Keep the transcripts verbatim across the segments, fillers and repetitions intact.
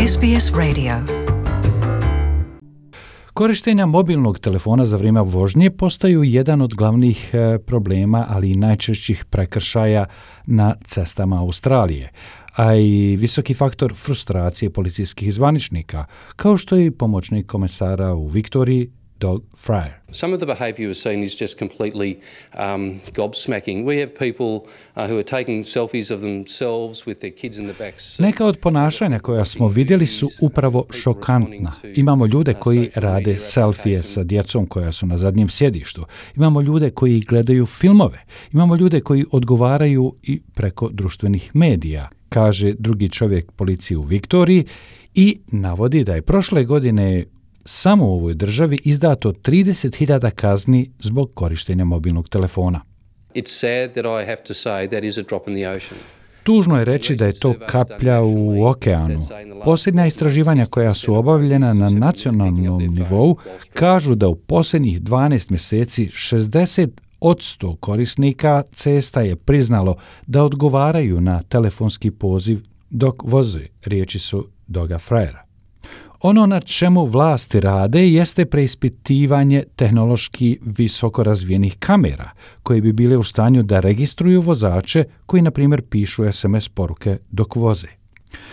S B S Radio. Korištenja mobilnog telefona za vrijeme vožnje postaju jedan od glavnih problema, ali i najčešćih prekršaja na cestama Australije, a i visoki faktor frustracije policijskih zvaničnika, kao što je i pomoćnik komesara u Viktoriji, Doug Fryer. Some of the behaviour we've seen is just completely um, gobsmacking. We have people uh, who are taking selfies of themselves with their kids in the back seat. Neka od ponašanja koja smo vidjeli su upravo šokantna. Imamo ljude koji rade selfije sa djecom koja su na zadnjem sjedištu. Imamo ljude koji gledaju filmove. Imamo ljude koji odgovaraju i preko društvenih medija, kaže drugi čovjek policije u Viktoriji i navodi da je prošle godine samo u ovoj državi izdato trideset hiljada kazni zbog korištenja mobilnog telefona. It's sad that I have to say that is a drop in the ocean. Tužno je reći da je to kaplja u okeanu. Posljednja istraživanja koja su obavljena na nacionalnom nivou kažu da u posljednjih dvanaest mjeseci šezdeset posto korisnika cesta je priznalo da odgovaraju na telefonski poziv dok voze, riječi su Douga Fryera. Ono na čemu vlasti rade jeste preispitivanje tehnološki visoko razvijenih kamera, koje bi bile u stanju da registruju vozače koji, na primjer, pišu es em es poruke dok voze.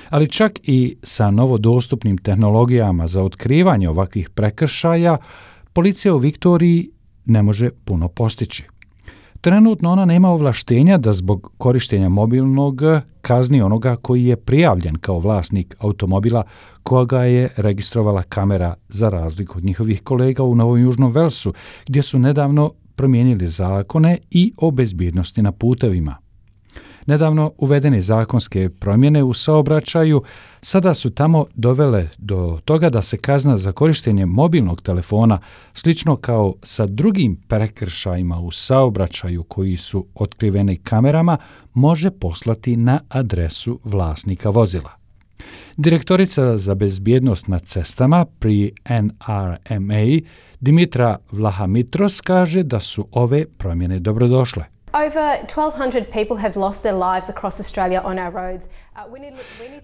Ali čak i sa novodostupnim tehnologijama za otkrivanje ovakvih prekršaja, policija u Viktoriji ne može puno postići. Trenutno ona nema ovlaštenja da zbog korištenja mobilnog kazni onoga koji je prijavljen kao vlasnik automobila koga je registrovala kamera, za razliku od njihovih kolega u Novom Južnom Velsu, gdje su nedavno promijenili zakone i o bezbjednosti na putevima. Nedavno uvedene zakonske promjene u saobraćaju sada su tamo dovele do toga da se kazna za korištenje mobilnog telefona, slično kao sa drugim prekršajima u saobraćaju koji su otkriveni kamerama, može poslati na adresu vlasnika vozila. Direktorica za bezbjednost na cestama pri N R M A Dimitra Vlahamitros kaže da su ove promjene dobrodošle. Over twelve hundred people have lost their lives across Australia on our roads.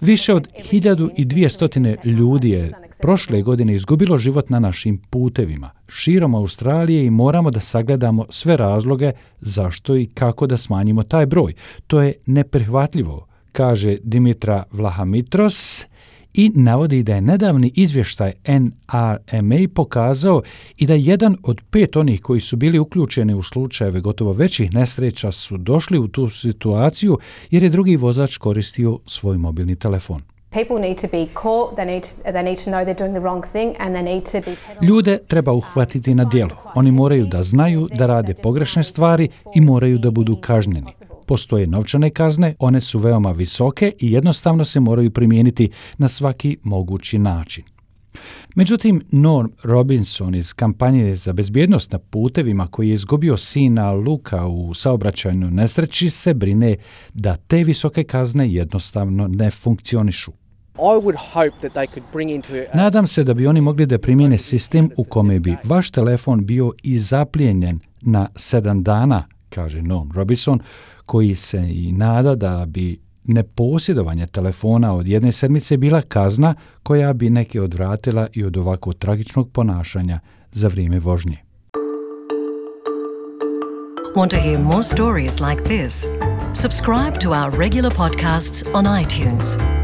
Više od hiljadu dvjesto ljudi je prošle godine izgubilo život na našim putevima širom Australije i moramo da sagledamo sve razloge zašto i kako da smanjimo taj broj. To je neprihvatljivo, kaže Dimitra Vlahamitros i navodi da je nedavni izvještaj N R M A pokazao i da jedan od pet onih koji su bili uključeni u slučajeve gotovo većih nesreća su došli u tu situaciju jer je drugi vozač koristio svoj mobilni telefon. Ljude treba uhvatiti na djelo. Oni moraju da znaju da rade pogrešne stvari i moraju da budu kažnjeni. Postoje novčane kazne, one su veoma visoke i jednostavno se moraju primijeniti na svaki mogući način. Međutim, Norm Robinson iz kampanje za bezbjednost na putevima, koji je izgubio sina Luka u saobraćajnoj nesreći, se brine da te visoke kazne jednostavno ne funkcionišu. Nadam se da bi oni mogli da primijene sistem u kome bi vaš telefon bio i zaplijenjen na sedam dana, kaže Norm Robinson, koji se i nada da bi neposjedovanje telefona od jedne sedmice bila kazna koja bi neke odvratila i od ovako tragičnog ponašanja za vrijeme vožnje. Want to hear more stories like this? Subscribe to our regular podcasts on iTunes.